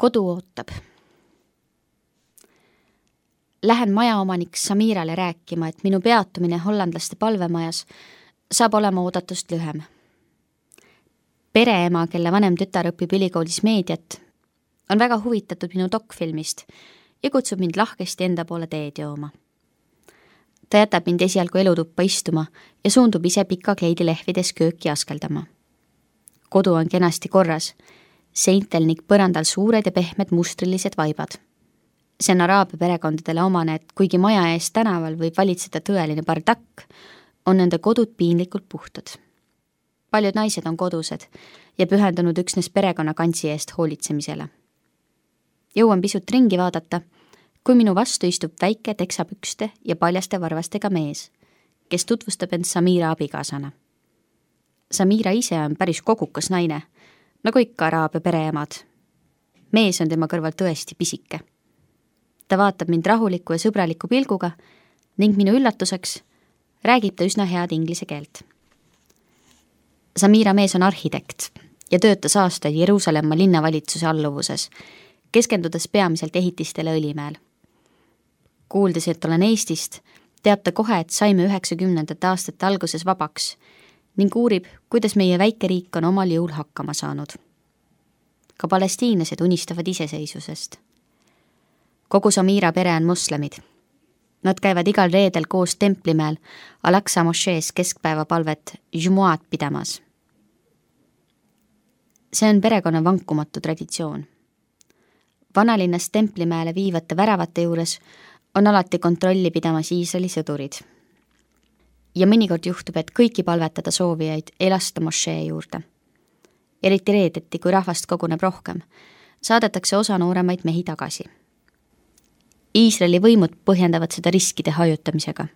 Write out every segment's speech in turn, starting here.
Kodu ootab. Lähen majaomanik Samirale rääkima, et minu peatumine hollandlaste palvemajas saab olema oodatust lühem. Pereema, kelle vanem tütar õpib ülikoolis meediat, on väga huvitatud minu dokfilmist ja kutsub mind lahkesti enda poole teed jooma. Ta jätab mind esialgu elutuppa istuma ja suundub ise pika kleidi lehvides kööki askeldama. Kodu on kenasti korras, seintel ning põrandal suured ja pehmed mustrilised vaibad. See on araabia perekondadele omane, et kuigi maja ees tänaval võib valitseda tõeline bardakk, on nende kodud piinlikult puhtad. Paljud naised on kodused ja pühendunud üksnes perekonna kantsi eest hoolitsemisele. Jõuan pisut ringi vaadata, kui minu vastu istub väike teksapükste ja paljaste varvastega mees, kes tutvustab end Samira abikaasana. Samira ise on päris kogukas naine, nagu ikka araabia pereemad. Mees on tema kõrval tõesti pisike. Ta vaatab mind rahuliku ja sõbraliku pilguga ning minu üllatuseks räägib ta üsna head inglise keelt. Samira mees on arhitekt ja töötas aastaid Jeruusalemma linnavalitsuse alluvuses, keskendudes peamiselt ehitistele Õlimäel. Kuuldes, et olen Eestist, teab ta kohe, et saime 90. aastate alguses vabaks ning uurib, kuidas meie väike riik on omal jõul hakkama saanud. Ka palestiinlased unistavad iseseisvusest. Kogu Samira pere on moslemid. Nad käivad igal reedel koos Templimäel Al-Aqsa mošees keskpäevapalvet Jumuat pidamas. See on perekonna vankumatu traditsioon. Vanalinnas Templimäele viivate väravate juures on alati kontrolli pidamas Iisraeli sõdurid. Ja mõnikord juhtub, et kõiki palvetada soovijaid ei lasta mošee juurde. Eriti reedeti, kui rahvast koguneb rohkem, saadetakse osa nooremaid mehi tagasi. Iisraeli võimud põhjendavad seda riskide hajutamisega.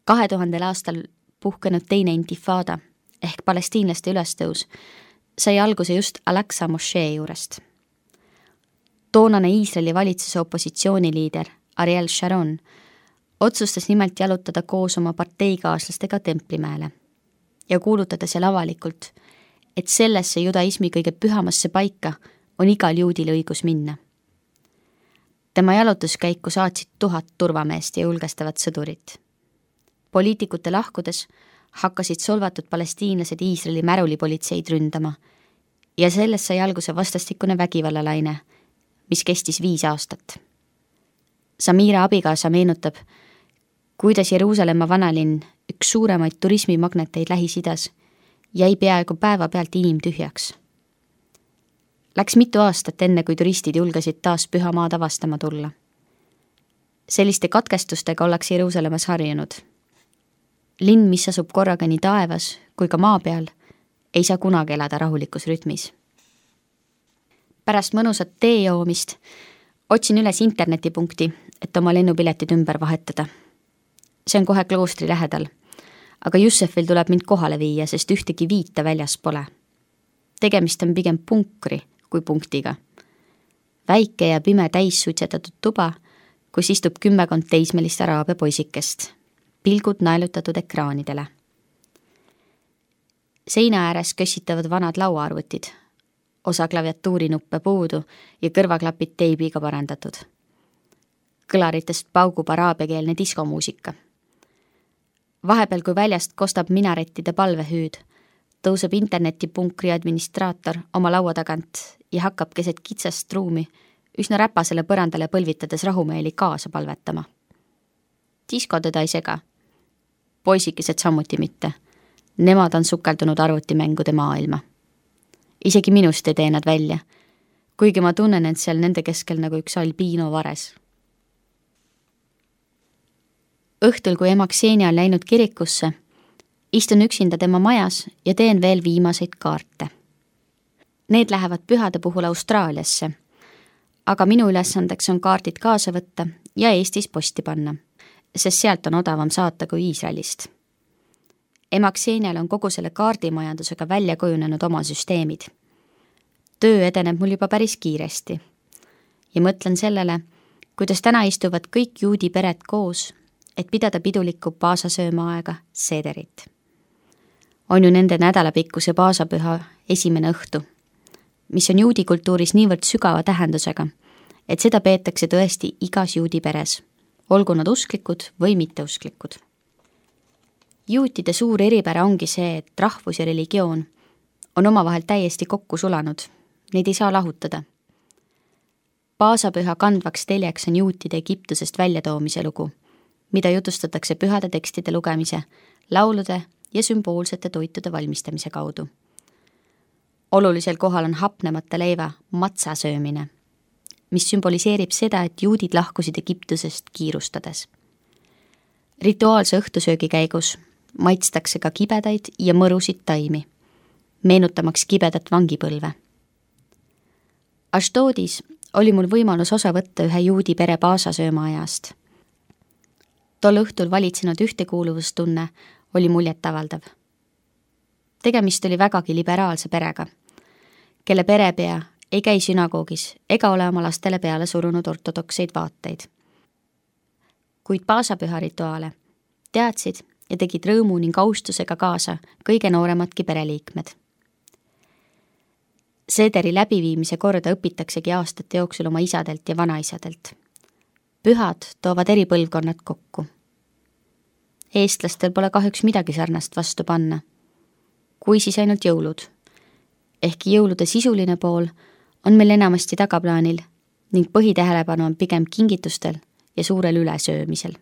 2000. aastal puhkenud teine intifada ehk palestiinlaste ülestõus sai alguse just Al-Aqsa mošee juurest. Toonane Iisraeli valitsuse opositsiooniliider Ariel Sharon otsustas nimelt jalutada koos oma parteikaaslastega Templimäele ja kuulutada seal avalikult, et sellesse judaismi kõige pühamasse paika on igal juudil õigus minna. Tema jalutuskäiku saatsid 1000 turvameest ja julgestavat sõdurit. Poliitikute lahkudes hakkasid solvatud palestiinlased Iisraeli märulipolitseid ründama ja sellest sai alguse vastastikune vägivallalaine, mis kestis 5 aastat. Samira abikaasa meenutab, kuidas Jeruusalemma vanalinn, üks suuremaid turismimagneteid Lähis-Idas, jäi peaaegu päeva pealt inimtühjaks. Läks mitu aastat enne, kui turistid julgesid taas püha maad avastama tulla. Selliste katkestustega ollakse Jeruusalemmas harjunud. Linn, mis asub korraga nii taevas kui ka maa peal, ei saa kunagi elada rahulikus rütmis. Pärast mõnusat tee joomist otsin üles internetipunkti, et oma lennupiletid ümber vahetada. See on kohe kloostri lähedal, aga Jussefil tuleb mind kohale viia, sest ühtegi viita väljas pole. Tegemist on pigem punkri kui punktiga. Väike ja pime täissuitsetatud tuba, kus istub 10 teismelist araabia poisikest, pilgud naelutatud ekraanidele. Seina ääres kössitavad vanad lauaarvutid, osa klaviatuurinuppe puudu ja kõrvaklapid teibiga parandatud. Kõlaritest paugub araabiakeelne diskomuusika. Vahepeal, kui väljast kostab minarettide palvehüüd, tõuseb internetipunkri administraator oma laua tagant ja hakkab keset kitsast ruumi üsna räpasele põrandale põlvitades rahumeeli kaasa palvetama. Disko teda ei sega. Poisikesed sammuti mitte. Nemad on sukeldunud arvutimängude maailma. Isegi minust ei tee nad välja, kuigi ma tunnen end seal nende keskel nagu üks albiino vares. Õhtul, kui ema Ksenia on läinud kirikusse, istun üksinda tema majas ja teen veel viimaseid kaarte. Need lähevad pühade puhul Austraaliasse, aga minu ülesandeks on kaardid kaasa võtta ja Eestis posti panna, sest sealt on odavam saata kui Iisraelist. Ema Ksenial on kogu selle kaardimajandusega välja kujunenud oma süsteemid. Töö edeneb mul juba päris kiiresti ja mõtlen sellele, kuidas täna istuvad kõik juudi pered koos, et pidada pidulikku paasasöömaaega sederit. On ju nende nädalapikkuse paasapüha esimene õhtu. mis on juudi kultuuris niivõrd sügava tähendusega, et seda peetakse tõesti igas juudi peres, olgu nad usklikud või mitteusklikud. Juutide suur eripära ongi see, et rahvus ja religioon on omavahel täiesti kokku sulanud, neid ei saa lahutada. Paasapüha kandvaks teljeks on juutide Egiptusest väljatoomise lugu, mida jutustatakse pühade tekstide lugemise, laulude ja sümboolsete toitude valmistamise kaudu. Olulisel kohal on hapnemata leiva matsa söömine, mis sümboliseerib seda, et juudid lahkusid Egiptusest kiirustades. Rituaalse õhtusöögi käigus maitstakse ka kibedaid ja mõrusid taimi, meenutamaks kibedat vangipõlve. Ashdodis oli mul võimalus osa võtta ühe juudi pere paasasööma ajast. Tol õhtul valitsenud ühtekuuluvustunne oli muljetavaldav. Tegemist oli vägagi liberaalse perega, kelle perepea ei käi sünagoogis ega ole oma lastele peale surunud ortodokseid vaateid. Kuid paasapüha rituaale teadsid ja tegid rõõmu ning austusega kaasa kõige nooremadki pereliikmed. Seederi läbiviimise korda õpitaksegi aastate jooksul oma isadelt ja vanaisadelt. Pühad toovad eri põlvkonnad kokku. Eestlastel pole kahjuks midagi sarnast vastu panna, kui siis ainult jõulud. Ehkki jõulude sisuline pool on meil enamasti tagaplaanil ning põhitähelepanu on pigem kingitustel ja suurel ülesöömisel.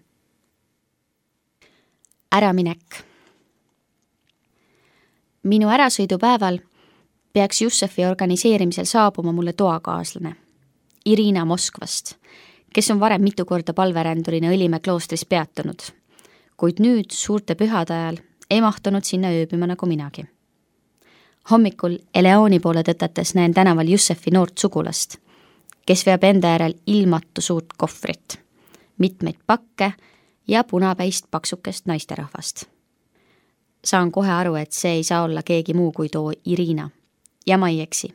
Äraminek. Minu ärasõidupäeval peaks Jussefi organiseerimisel saabuma mulle toakaaslane, Irina Moskvast, kes on varem mitu korda palverändurina Õlimäe kloostris peatunud, kuid nüüd suurte pühade ajal ei mahtunud sinna ööbima nagu minagi. Hommikul Eleoni poole tõtates näen tänaval Jussefi noort sugulast, kes veab enda järel ilmatu suurt kohvrit, mitmeid pakke ja punapäist paksukest naisterahvast. Saan kohe aru, et see ei saa olla keegi muu kui too Irina. Ja ma ei eksi.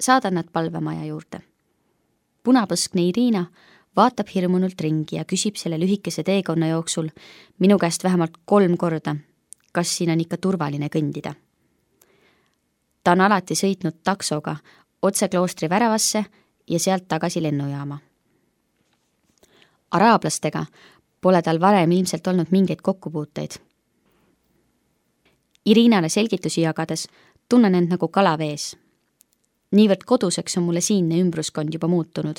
Saadan nad palvemaja juurde. Punapõskne Irina vaatab hirmunult ringi ja küsib selle lühikese teekonna jooksul minu käest vähemalt 3 korda, kas siin on ikka turvaline kõndida. Ta on alati sõitnud taksoga otse kloostri väravasse ja sealt tagasi lennujaama. Araablastega pole tal varem ilmselt olnud mingeid kokkupuuteid. Irinale selgitusi jagades tunnen end nagu kalavees. Niivõrd koduseks on mulle siinne ümbruskond juba muutunud.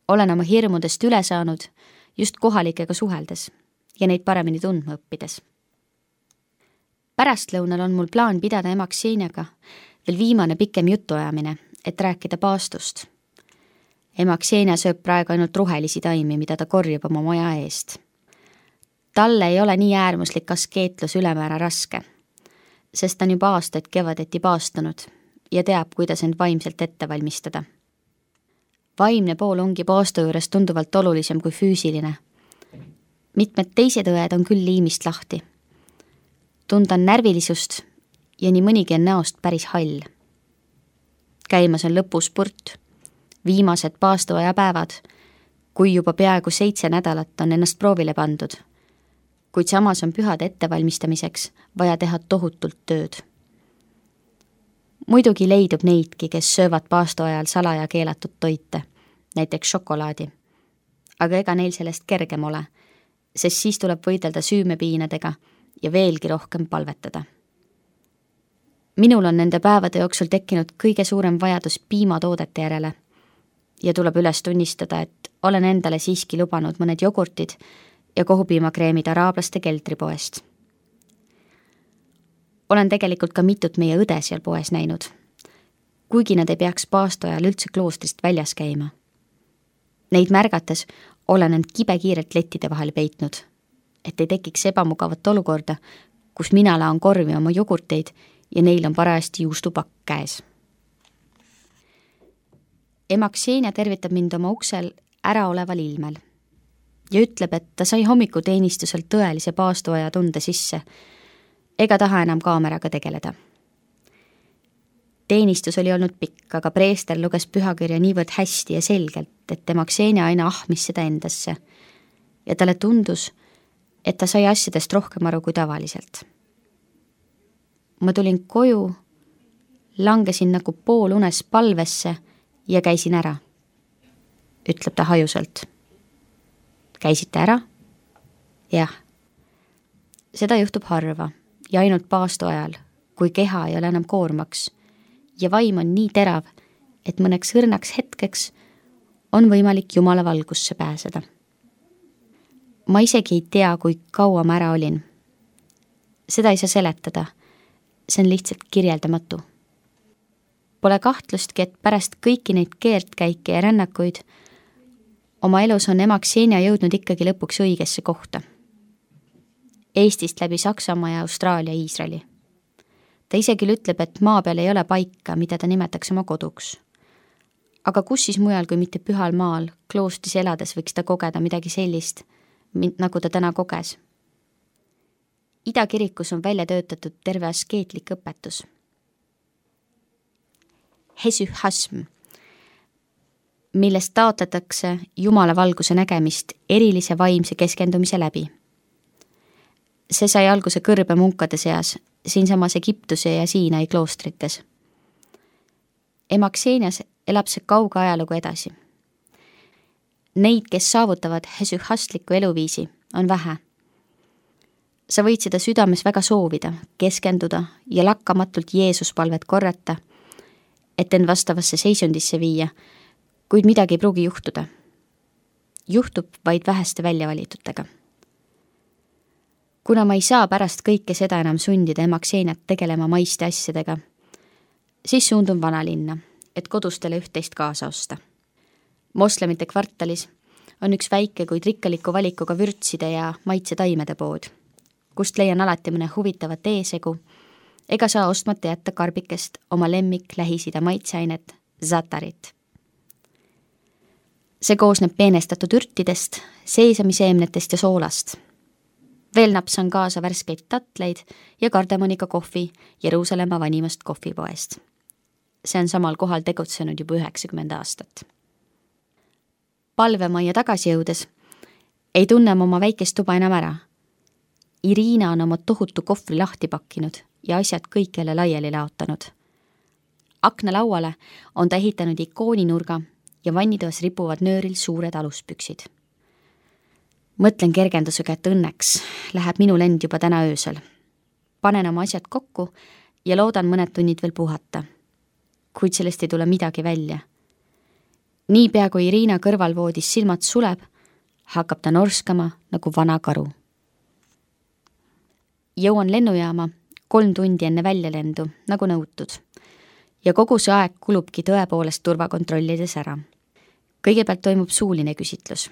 Olen oma hirmudest üle saanud just kohalikega suheldes ja neid paremini tundma õppides. Pärastlõunal on mul plaan pidada ema Kseniaga veel viimane pikem jutuajamine, et rääkida paastust. Ema Ksenia sööb praegu ainult rohelisi taimi, mida ta korjab oma maja eest. Talle ei ole nii äärmuslik askeetlus ülemäära raske, sest ta on juba aastaid kevadeti paastunud ja teab, kuidas end vaimselt ette valmistada. Vaimne pool ongi paastu juures tunduvalt olulisem kui füüsiline. Mitmed teised õed on küll liimist lahti. Tundan närvilisust ja nii mõnigi on näost päris hall. Käimas on lõpuspurt, viimased paastuaja päevad, kui juba peaaegu 7 nädalat on ennast proovile pandud, kuid samas on pühade ettevalmistamiseks vaja teha tohutult tööd. Muidugi leidub neidki, kes söövad paastu ajal salaja keelatud toite, näiteks šokolaadi. Aga ega neil sellest kergem ole, sest siis tuleb võidelda süümepiinadega ja veelgi rohkem palvetada. Minul on nende päevade jooksul tekkinud kõige suurem vajadus piimatoodete järele ja tuleb üles tunnistada, et olen endale siiski lubanud mõned jogurtid ja kohupiimakreemid araablaste keldripoest. Olen tegelikult ka mitut meie õde seal poes näinud, kuigi nad ei peaks paastu ajal üldse kloostrist väljas käima. Neid märgates olen end kibekiirelt lettide vahel peitnud, et ei tekiks ebamugavat olukorda, kus mina laon korvi oma jogurteid ja neil on parajasti juustupakk käes. Ema Ksenia tervitab mind oma uksel äraoleval ilmel ja ütleb, et ta sai hommikuteenistuselt tõelise paastuaja tunde sisse ega taha enam kaameraga tegeleda. Teenistus oli olnud pikk, aga preester luges pühakirja niivõrd hästi ja selgelt, et ema Ksenia aina ahmis seda endasse ja talle tundus, et ta sai asjadest rohkem aru kui tavaliselt. Ma tulin koju, langesin nagu poolunes palvesse ja käisin ära, ütleb ta hajuselt. Käisite ära? Jah. Seda juhtub harva ja ainult paastu ajal, kui keha ei ole enam koormaks ja vaim on nii terav, et mõneks õrnaks hetkeks on võimalik Jumala valgusse pääseda. Ma isegi ei tea, kui kaua ma ära olin. Seda ei saa seletada, see on lihtsalt kirjeldamatu. Pole kahtlustki, et pärast kõiki neid keertkäike ja rännakuid oma elus on ema Ksenia jõudnud ikkagi lõpuks õigesse kohta. Eestist läbi Saksamaa ja Austraalia Iisraeli. Ta ise küll ütleb, et maa peal ei ole paika, mida ta nimetaks oma koduks. Aga kus siis mujal kui mitte pühal maal, kloostris elades võiks ta kogeda midagi sellist, nagu ta täna koges. Idakirikus on välja töötatud terve askeetlik õpetus. Hesychasm, millest taotletakse Jumala valguse nägemist erilise vaimse keskendumise läbi. See sai alguse kõrbe munkade seas, siinsamas Egiptuse ja Siinai kloostrites. Ema Ksenias elab see kauge ajalugu edasi. Neid, kes saavutavad hesychastliku eluviisi, on vähe. Sa võid seda südames väga soovida, keskenduda ja lakkamatult Jeesuspalvet korrata, et end vastavasse seisundisse viia, kuid midagi ei pruugi juhtuda. Juhtub vaid väheste väljavalitutega. Kuna ma ei saa pärast kõike seda enam sundida ema Kseniat tegelema maiste asjadega, siis suundun vanalinna, et kodustele üht-teist kaasa osta. Moslemite kvartalis on üks väike, kuid rikkaliku valikuga vürtside ja maitsetaimede pood, kust leian alati mõne huvitavat eesegu, ega saa ostmata jätta karbikest oma lemmik Lähis-Ida maitseainet, zatarit. See koosneb peenestatud ürtidest, seesamiseemnetest ja soolast. Veel napsan kaasa värskeid tatleid ja kardamoniga kohvi Jeruusalemma vanimast kohvipoest. See on samal kohal tegutsenud juba 90 aastat. Palvemajja tagasi jõudes ei tunne ma oma väikest tuba enam ära. Irina on oma tohutu kohvri lahti pakkinud ja asjad kõik jälle laiali laotanud. Aknalauale on ta ehitanud ikooninurga ja vannitoas ripuvad nööril suured aluspüksid. Mõtlen kergendusega, et õnneks läheb minu lend juba täna öösel. Panen oma asjad kokku ja loodan mõned tunnid veel puhata. Kuid sellest ei tule midagi välja. Niipea kui Irina kõrvalvoodis silmad suleb, hakkab ta norskama nagu vana karu. Jõuan lennujaama 3 tundi enne väljalendu, nagu nõutud. Ja kogu see aeg kulubki tõepoolest turvakontrollides ära. Kõigepealt toimub suuline küsitlus.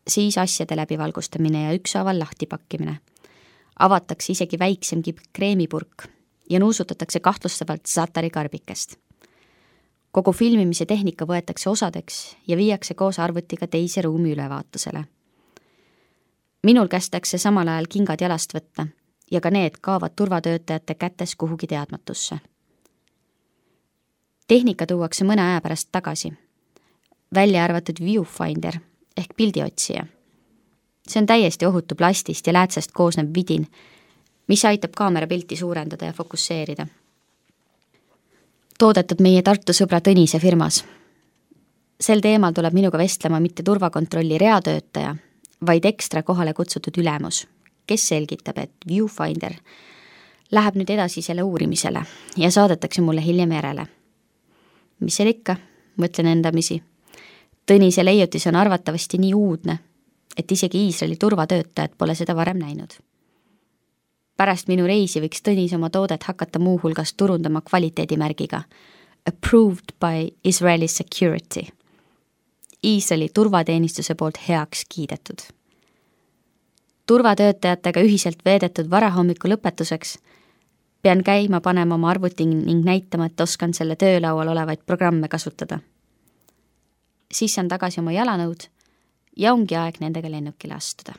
Siis asjade läbivalgustamine ja ükshaaval lahtipakkimine. Avatakse isegi väiksemgi kreemipurk ja nuusutatakse kahtlustavalt zatari karbikest. Kogu filmimise tehnika võetakse osadeks ja viiakse koos arvutiga teise ruumi ülevaatusele. Minul kästakse samal ajal kingad jalast võtta ja ka need kaavad turvatöötajate kätes kuhugi teadmatusse. Tehnika tuuakse mõne aja pärast tagasi. Välja arvatud viewfinder ehk pildiotsija. See on täiesti ohutu plastist ja läätsest koosnev vidin, mis aitab kaamera pilti suurendada ja fokusseerida. Toodetud meie Tartu sõbra Tõnise firmas. Sel teemal tuleb minuga vestlema mitte turvakontrolli reatöötaja, vaid ekstra kohale kutsutud ülemus, kes selgitab, et viewfinder läheb nüüd edasi selle uurimisele ja saadetakse mulle hiljem järele. Mis seal ikka, mõtlen endamisi. Tõnise leiutis on arvatavasti nii uudne, et isegi Iisraeli turvatöötajad pole seda varem näinud. Pärast minu reisi võiks Tõnis oma toodet hakata muuhulgas turundama kvaliteedimärgiga Approved by Israeli Security. Iisraeli turvateenistuse poolt heaks kiidetud. Turvatöötajatega ühiselt veedetud varahommiku lõpetuseks pean käima panema oma arvuti ning näitama, et oskan selle töölaual olevaid programme kasutada. Siis saan tagasi oma jalanõud ja ongi aeg nendega lennukile astuda.